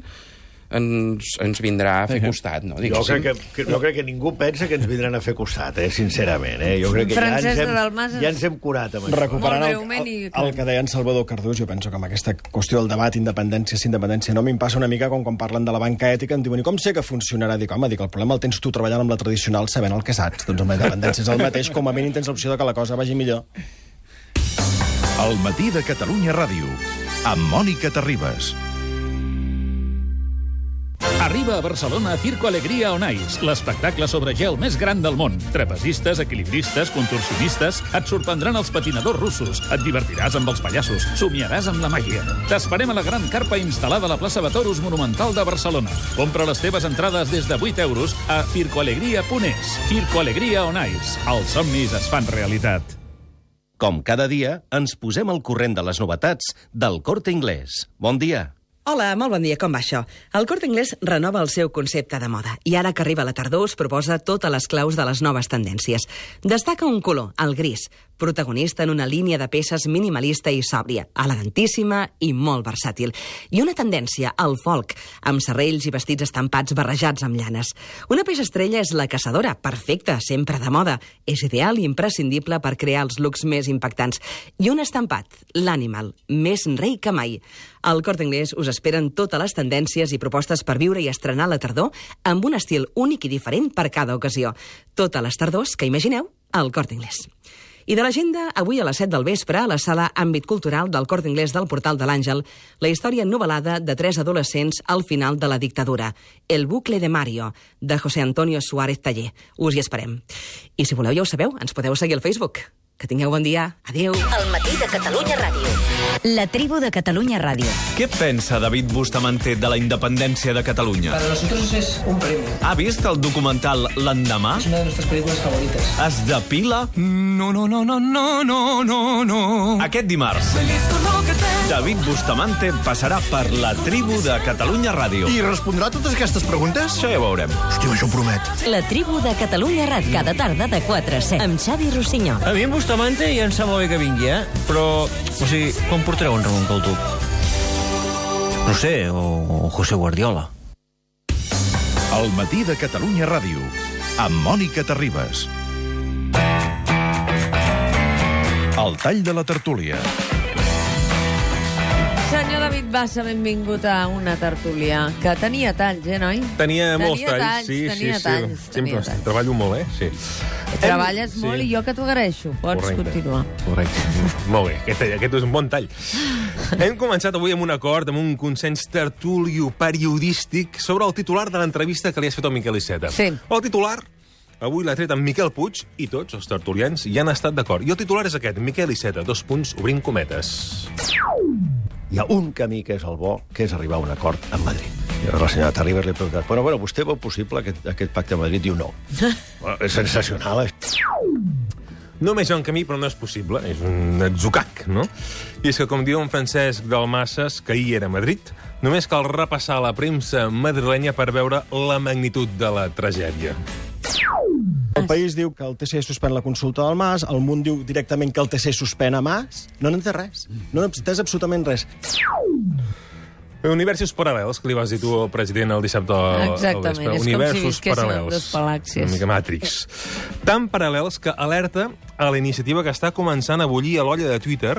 ens vindrà a fer costat, no? Jo crec que ningú pensa que ens vindran a fer costat, sincerament. Jo crec que ja ens hem curat amb això. Recuperant el que deia en Salvador Cardús, jo penso que amb aquesta qüestió del debat independència sí independència no, m'hi passa una mica com quan parlen de la banca ètica, em diuen, i com sé que funcionarà? Dic, home, el problema el tens tu treballant amb la tradicional sabent el que saps. Doncs amb la independència és el mateix, com a mínim tens l'opció de que la cosa vagi millor. El matí de Catalunya Ràdio, amb Mònica Terribas. Arriba a Barcelona Circo Alegria on Ice, l'espectacle sobre gel més gran del món. Trapezistes, equilibristes, contorsionistes, et sorprendran els patinadors russos, et divertiràs amb els pallassos, somiaràs amb la màgia. T'esperem a la gran carpa instal·lada a la plaça de Toros Monumental de Barcelona. Compra les teves entrades des de 8 euros a circoalegria.es. Circo Alegria on Ice. Els somnis es fan realitat. Com cada dia, ens posem al corrent de les novetats del Corte Inglés. Bon dia. Hola, molt bon dia, com va això? El Corte Inglés renova el seu concepte de moda i ara que arriba la tardor us proposa totes les claus de les noves tendències. Destaca un color, el gris, protagonista en una línia de peces minimalista i sòbria, elegantíssima i molt versàtil. I una tendència al folk, amb serrells i vestits estampats barrejats amb llanes. Una peça estrella és la caçadora, perfecta, sempre de moda. És ideal i imprescindible per crear els looks més impactants. I un estampat, l'Animal, més rei que mai. Al Corte Inglés us esperen totes les tendències i propostes per viure i estrenar la tardor amb un estil únic i diferent per cada ocasió. Totes les tardors que imagineu al Corte Inglés. I de l'agenda, avui a les 7 del vespre, a la sala Àmbit Cultural del Corte Inglés del Portal de l'Àngel, la història novel·lada de 3 adolescents al final de la dictadura, El bucle de Mario, de José Antonio Suárez Taller. Us hi esperem. I si voleu, ja ho sabeu, ens podeu seguir al Facebook. Que tingueu bon dia. Adéu. El matí de Catalunya Ràdio. La tribu de Catalunya Ràdio. ¿Qué pensa David Bustamante de la independencia de Cataluña? Para nosotros es un premio. ¿Ha visto el documental L'Endemà? Es una de nuestras películas favoritas. Es depila? No. Aquest dimarts, David Bustamante passarà per la tribu de Catalunya Ràdio. I respondrà totes aquestes preguntes? Això ja ho veurem. Hòstia, això ho promet. La tribu de Catalunya Ràdio. Cada tarda de 4 a 7. Amb Xavi Rossinyol. A mi en Bustamante ja em sembla bé que vingui, Però, o sigui, com portareu un Ramon Caltuc? No sé, o José Guardiola. El matí de Catalunya Ràdio, amb Mònica Terribas. El tall de la tertúlia. Senyor David Bassa, benvingut a una tertúlia que tenia talls, noi? Tenia molts talls. Tenia talls. Treballo molt, sí. Treballes molt i jo que t'ho agraeixo. Pots continuar. Correcte. Molt bé, aquest és un bon tall. Hem començat avui amb un acord, amb un consens tertulio periodístic sobre el titular de l'entrevista que li has fet al Miquel Iceta. Sí. El titular, avui l'ha tret amb Miquel Puig i tots els tertulians hi han estat d'acord. I el titular és aquest, Miquel Iceta, : obrim cometes. Hi ha un camí que és el bo, que és arribar a un acord amb Madrid. I la senyora Terribas li ha preguntat, bueno, vostè veu possible aquest pacte a Madrid? Diu no. És sensacional. Només hi ha un camí, però no és possible. És un atzucac, no? I és que, com diu en Francesc Dalmases, que ahir era a Madrid, només cal repassar la premsa madrilenya per veure la magnitud de la tragèdia. El País diu que el TC suspèn la consulta del Mas, el Munt diu directament que el TC suspèn a Mas. No n'entès res. No n'entès absolutament res. Universos paral·lels, que li vas dir tu al president el dissabte al vespre. Exactament, és Universos com si visquessin paral·lels. dos palàxies. Una mica Matrix. Tan paral·lels que alerta a la iniciativa que està començant a bullir a l'olla de Twitter,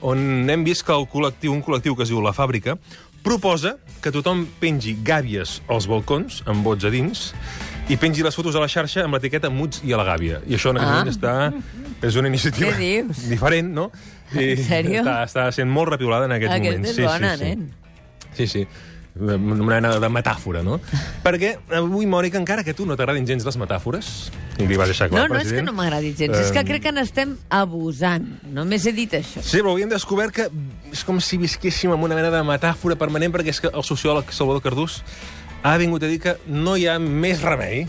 on hem vist que un col·lectiu que es diu La Fàbrica, proposa que tothom pengi gàbies als balcons, amb bots a dins, i pengi les fotos a la xarxa amb l'etiqueta Muts i a la gàbia. I això en aquest moment és una iniciativa diferent, no? En sèrio? Està sent molt repiolada en aquests moments. Aquesta és bona, nen. Sí. Una mena de metàfora, no? Perquè avui, Mònica, encara que a tu no t'agradin gens les metàfores, i li vas deixar clar, No és que no m'agradi gens, és que crec que n'estem abusant. Només he dit això. Sí, però avui hem descobert que és com si visquéssim amb una mena de metàfora permanent, perquè és que el sociòleg Salvador Cardús ha vingut a dir que no hi ha més remei.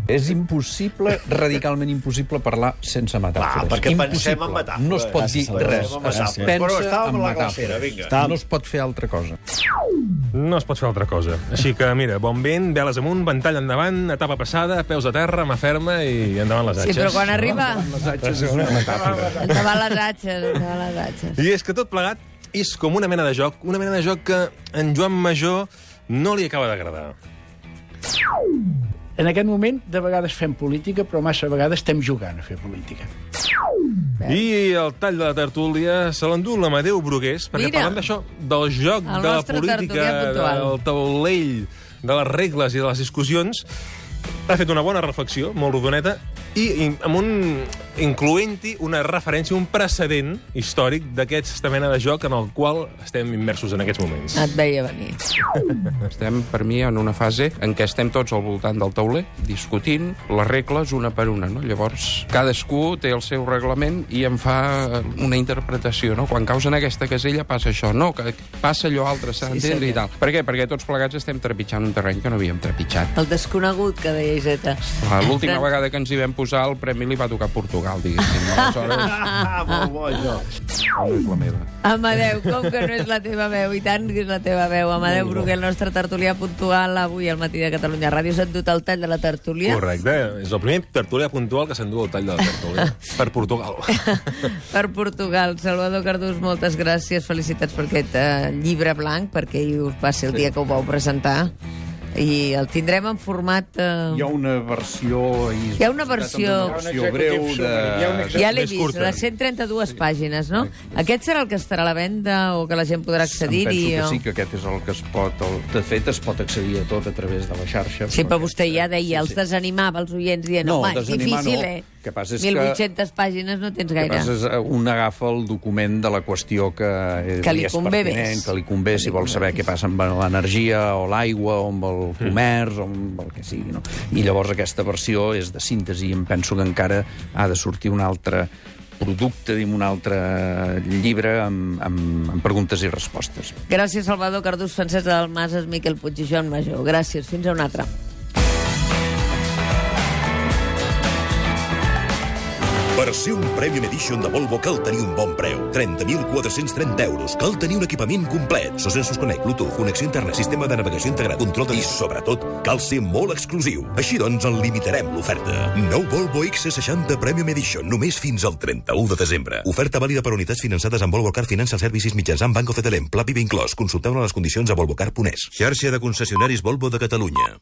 És impossible, radicalment impossible, parlar sense metàfores. Perquè pensem en metàfores. No es pot dir res. Es pensa en metàfores. No es pot fer altra cosa. No es pot fer altra cosa. Així que, mira, bon vent, veles amunt, ventall endavant, etapa passada, peus a terra, mà ferma i endavant les atxes. Sí, però quan arriba... Les atxes és una metàfora. Endavant les atxes. I és que tot plegat és com una mena de joc que en Joan Major no li acaba d'agradar. En aquest moment, de vegades fem política, però massa vegades estem jugant a fer política. I el tall de la tertúlia se l'endú l'Amadeu Brugués, perquè parlant d'això, del joc de la política, del taulell, de les regles i de les discussions, ha fet una bona reflexió, molt rodoneta, i incloent-hi una referència, un precedent històric d'aquesta mena de joc en el qual estem immersos en aquests moments. Et veia venir. Estem, per mi, en una fase en què estem tots al voltant del tauler, discutint les regles una per una, no? Llavors, cadascú té el seu reglament i en fa una interpretació, no? Quan caus en aquesta casella passa això, no, que passa allò altre, s'ha d'entendre i tal. Per què? Perquè tots plegats estem trepitjant un terreny que no havíem trepitjat. El desconegut, que deia Iseta. L'última vegada que ens hi vam posar, el premi li va tocar a Portugal, diguéssim. Aleshores... Molt bo, això. No és la meva. Amadeu, com que no és la teva veu? I tant que és la teva veu. Amadeu Brugué, el nostre tertulià puntual, avui al Matí de Catalunya Ràdio. S'ha endut el tall de la tertúlia. Correcte. És el primer tertulià puntual que s'endú el tall de la tertúlia. Per Portugal. Per Portugal. Salvador Cardús, moltes gràcies. Felicitats per aquest llibre blanc, perquè va ser el dia que ho vau presentar. I el tindrem en format... Hi ha una versió... Hi ha una versió breu de... Ja l'he vist, de 132 pàgines, no? Aquest serà el que estarà a la venda o que la gent podrà accedir-hi? Penso que sí, que aquest és el que es pot... De fet, es pot accedir a tot a través de la xarxa. Sí, però vostè ja deia, els desanimava els oients dient, home, és difícil, eh? 1.800 pàgines no tens gaire. El que passa és un agafa el document de la qüestió que li convé més. Que li convé, si vol saber què passa amb l'energia o l'aigua o amb el comerç o amb el que sigui, no? I llavors aquesta versió és de síntesi i em penso que encara ha de sortir un altre producte, un altre llibre amb preguntes i respostes. Gràcies, Salvador Cardús, Francesc Dalmases, Miquel Puig i Joan Majó. Gràcies, fins a una altra. Per ser un Premium Edition de Volvo cal tenir un bon preu. 30.430 euros. Cal tenir un equipament complet. SOS Connect, Bluetooth, connexió interna, sistema de navegació integrat, control de... I, sobretot, cal ser molt exclusiu. Així doncs, en limitarem l'oferta. Nou Volvo XC60 Premium Edition, només fins al 31 de desembre. Oferta vàlida per unitats finançades amb Volvo Car Financial Services mitjançant Banco Cetelem. Pla PIB inclòs. Consulteu-ne les condicions a volvocar.es. Xarxa de concessionaris Volvo de Catalunya.